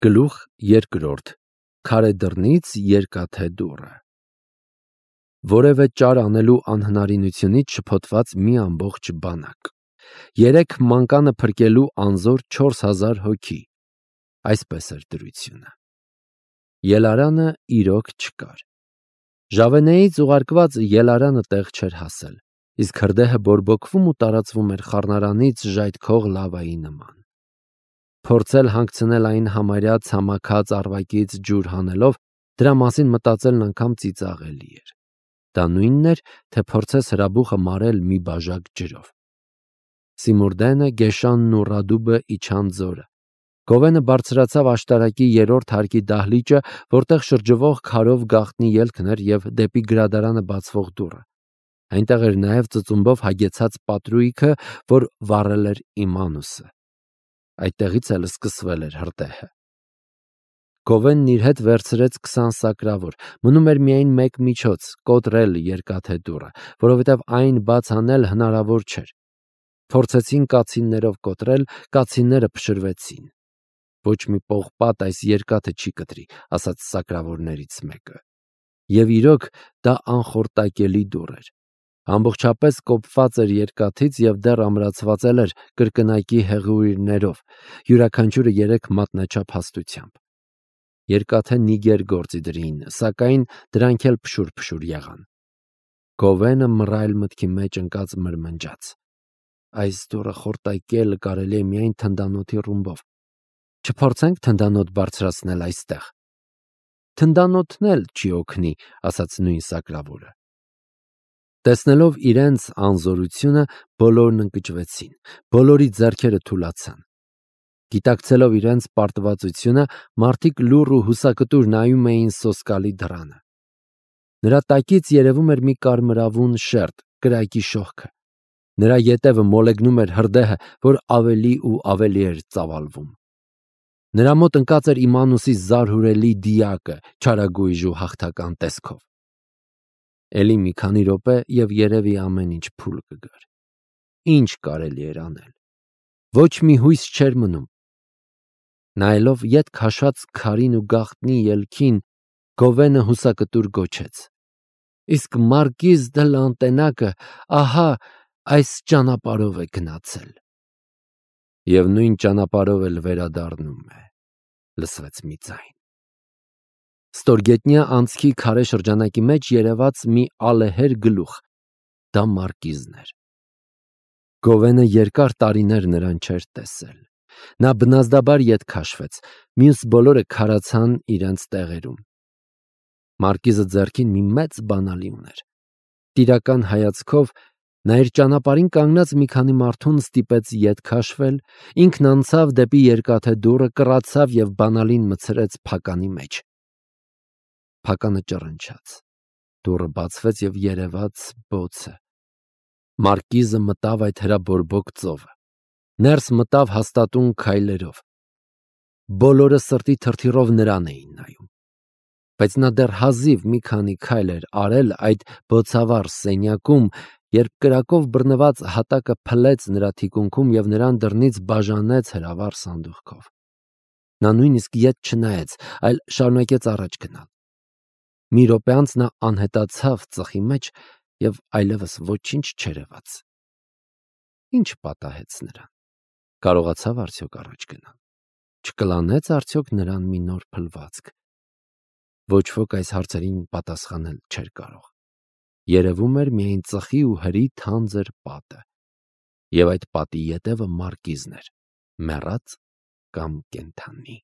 Գլուխ երկրորդ. Քարե դռնից երկաթե դուռը։ Որևէ ճար անելու անհնարինությունից շփոթված մի ամբողջ բանակ։ 3 մանկանը փրկելու անզոր 4000 հոգի։ Այսպես էր դրությունը։ Ելարանը իրոք չկար։ Ժավենեից ուղարկված ելարանը տեղ չէր հասել, իսկ հրդեհը բորբոքվում ու տարածվում էր խառնարանից ժայթքող լավայի նման։ Փորձել հանգցնել այն համարյա ցամաքած առվակից ջուր հանելով, դրա մասին մտածելն անգամ ծիծաղելի էր։ Դա նույնն էր, թե փորձես հրաբուխը մարել մի բաժակ ջրով։ Սիմուրդենը, Գեշանն ու Ռադուբը իջան ձորը։ Գովենը բարձրացավ աշտարակի 3-րդ հարկի դահլիճը, որտեղ շրջվող քարով գաղտնի ելքն էր և դեպի գրադարանը բացվող դուռը։ Այնտեղ էր նաև ծծումբով հագեցած պատրույգը, որ վառել էր Իմանուսը։ Այդտեղից էլ սկսվել էր հրդեհը։ Գովենն իր հետ վերցրեց 20 սակրավոր, մնում էր միայն մեկ միջոց՝ կոտրել երկաթե դուռը, որովհետև այն բաց անել հնարավոր չէր։ Փորձեցին կացիններով կոտրել, կացինները փշրվեցին։ Ոչ մի պողպատ այս երկաթը չի կտրի, ասաց սակրավորներից մեկը։ Եվ իրոք դա անխորտակելի դուռ էր։ Ամբողջապես կոփված էր երկաթից և դեռ ամրացված էր կրկնակի հեղուիրներով, յուրաքանչյուրը 3 մատնաչափ հաստությամբ։ Երկաթե նիգեր գործի դրին, սակայն դրանք էլ փշուր եղան։ Գովենը մռայլ մտքի մեջ ընկած մրմնջաց. այս դուռը խորտակել կարելի է միայն թնդանոթի ռումբով։ Չփորձենք թնդանոթ բարձրացնել այստեղ։ Թնդանոթն էլ չի օգնի, ասաց նույն սակրավորը։ Տեսնելով իրենց անզորությունը, բոլորն ընկճվեցին, բոլորի ձեռքերը թուլացան։ Գիտակցելով իրենց պարտվածությունը, մարդիկ լուռ ու հուսակտուր նայում էին սոսկալի դռանը։ Նրա տակից երևում էր մի կարմրավուն շերտ, կրակի շողքը։ Նրա ետևը մոլեգնում էր հրդեհը, որ ավելի ու ավելի էր ծավալվում։ Նրա մոտ ընկած էր Իմանուսի զարհուրելի դիակը, չարագույժ ու հաղթական տեսքով։ Էլի մի քանի րոպե և երևի ամեն ինչ փուլ կգար։ Ինչ կարելի էր անել։ Ոչ մի հույս չէր մնում։ Նայելով ետ քաշած քարին ու գաղտնի ելքին, Գովենը հուսակտուր գոչեց. Իսկ Մարկիզ դը Լանտենակը ահա այս ճանապարհով է գնացել։ Եվ նույն ճանապարհով էլ վերադառնում է, լսվեց մի ձայն։ Ստորգետնյա անցքի քարե շրջանակի մեջ երևաց մի ալեհեր գլուխ։ Դա Մարկիզն էր։ Գովենը երկար տարիներ նրան չէր տեսել։ Նա բնազդաբար ետ քաշվեց, մյուս բոլորը քարացան իրենց տեղերում։ Մարկիզը ձեռքին մի մեծ բանալի ուներ։ Տիրական հայացքով նա իր ճանապարհին կանգնած մի քանի մարդուն ստիպեց ետ քաշվել, ինքն անցավ դեպի երկաթե դուռը, կռացավ և բանալին մցրեց փականի մեջ։ Փականը ճռնչաց։ Դուռը բացվեց և երևաց բոցը։ Մարկիզը մտավ այդ հրաբորբոք ծովը։ Ներս մտավ հաստատուն քայլերով։ Բոլորը սրտի թրթիռով նրան էին նայում։ Բայց նա դեռ հազիվ մի քանի քայլ էր արել այդ բոցավառ սենյակում, երբ կրակով բռնված հատակը փլեց նրա թիկունքում և նրան դռնից բաժանեց հրավառ սանդուղքով։ Նա նույնիսկ ետ չնայեց, այլ շարունակեց առաջ գնալ։ Մի րոպե անց նա անհետացավ ծխի մեջ և այլևս ոչինչ չերևաց։ Ինչ պատահեց նրան։ Կարողացավ արդյոք առաջ գնալ։ Չկլանեց արդյոք նրան մի նոր փլվածք։ Ոչ ոք այս հարցերին պատասխանել չէր կարող։ Երևում էր միայն ծխի ու հրի թանձր պատը։ Եվ այդ պատի ետևը Մարկիզն էր, մեռած կամ կենդանի։